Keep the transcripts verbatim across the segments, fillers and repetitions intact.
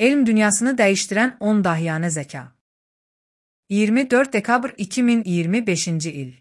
Elm dünyasını dəyişdirən on dahiyanə zəka. iyirmi dörd dekabr iki min iyirmi beşinci il.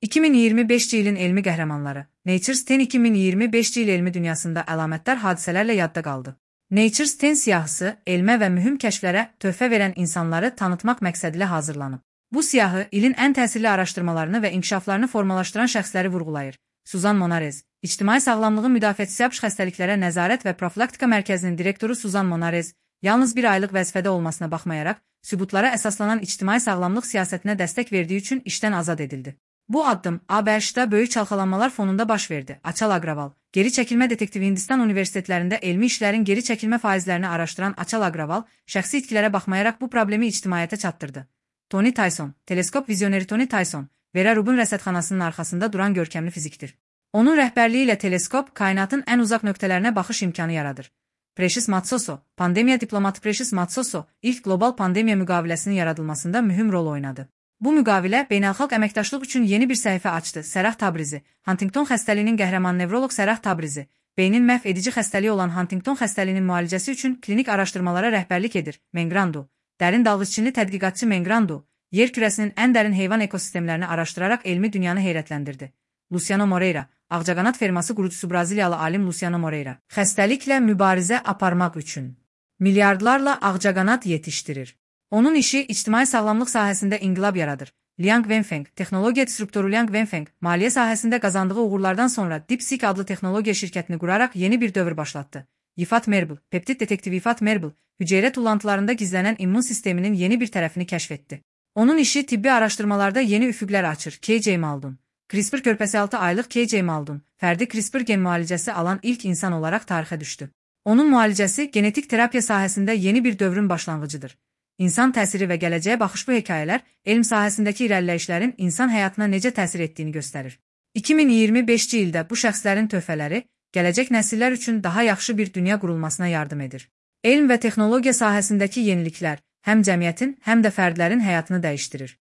iki min iyirmi beşinci ilin elmi qəhrəmanları. Nature ten iki min iyirmi beşinci il elmi dünyasında əlamətdar hadisələrlə yadda qaldı. Nature ten siyahısı elmə və mühüm kəşflərə töhfə verən insanları tanıtmaq məqsədilə hazırlanıb. Bu siyahı ilin ən təsirli araşdırmalarını və inkişaflarını formalaşdıran şəxsləri vurğulayır. Suzan Monarez, İctimai Sağlamlığın Müdafiəçisi yapış xəstəliklərə nəzarət və profilaktika mərkəzinin direktoru Suzan Monarez, yalnız bir aylıq vəzifədə olmasına baxmayaraq, sübutlara əsaslanan ictimai sağlamlıq siyasətinə dəstək verdiyi üçün işdən azad edildi. Bu addım A B Ş-da böyük çalxalanmalar fonunda baş verdi. Açal Agraval, geri çəkilmə detektivi Hindistan universitetlərində elmi işlərin geri çəkilmə faizlərini araşdıran Açal Agraval, şəxsi itkilərə baxmayaraq bu problemi ictimaiyyətə çatdırdı. Tony Tyson, teleskop vizyoneri Tony Tyson, Vera Rubin rəsədxanasının arxasında duran görkəmli fizikdir. Onun rəhbərliyi ilə teleskop kainatın ən uzaq nöqtələrinə baxış imkanı yaradır. Precious Matsoso, pandemiya diplomatı Precious Matsoso, ilk qlobal pandemiya müqaviləsinin yaradılmasında mühüm rol oynadı. Bu müqavilə beynəlxalq əməkdaşlıq üçün yeni bir səhifə açdı. Sərah Tabrizi, Huntington xəstəliyinin qəhrəman nevroloq Sərah Tabrizi, beynin məhv edici xəstəliyi olan Huntington xəstəliyinin müalicəsi üçün klinik araşdırmalara rəhbərlik edir. Mengrandu, dərin dalğıççınlı tədqiqatçı Mengrandu, yer kürəsinin ən dərin heyvan ekosistemlərini araşdıraraq elmi dünyanı heyrətləndirdi. Luciano Moreira, ağcaqanad ferması qurucusu Braziliyalı alim Luciano Moreira, xəstəliklə mübarizə aparmaq üçün milyardlarla ağcaqanad yetişdirir. Onun işi ictimai sağlamlıq sahəsində inqilab yaradır. Liang Wenfeng, texnologiya disruptoru Liang Wenfeng, maliyyə sahəsində qazandığı uğurlardan sonra DeepSeek adlı texnologiya şirkətini quraraq yeni bir dövr başlatdı. Yifat Merble, peptid detektivi Yifat Merble, hüceyrə tullantılarında gizlənən immun sisteminin yeni bir tərəfini kəşf etdi. Onun işi tibbi araşdırmalarda yeni üfüqlər açır. K J Maldon, CRISPR körpəsi altı aylıq K J Maldon, fərdi CRISPR gen müalicəsi alan ilk insan olaraq tarixə düşdü. Onun müalicəsi genetik terapiya sahəsində yeni bir dövrün başlanğıcıdır. İnsan təsiri və gələcəyə baxış bu hekayələr, elm sahəsindəki irəliləyişlərin insan həyatına necə təsir etdiyini göstərir. iki min iyirmi beşinci ildə bu şəxslərin töhfələri, gələcək nəsillər üçün daha yaxşı bir dünya qurulmasına yardım edir. Elm və texnologiya sahəsindəki yeniliklər həm cəmiyyətin, həm də fərdlərin həyatını dəyişdirir.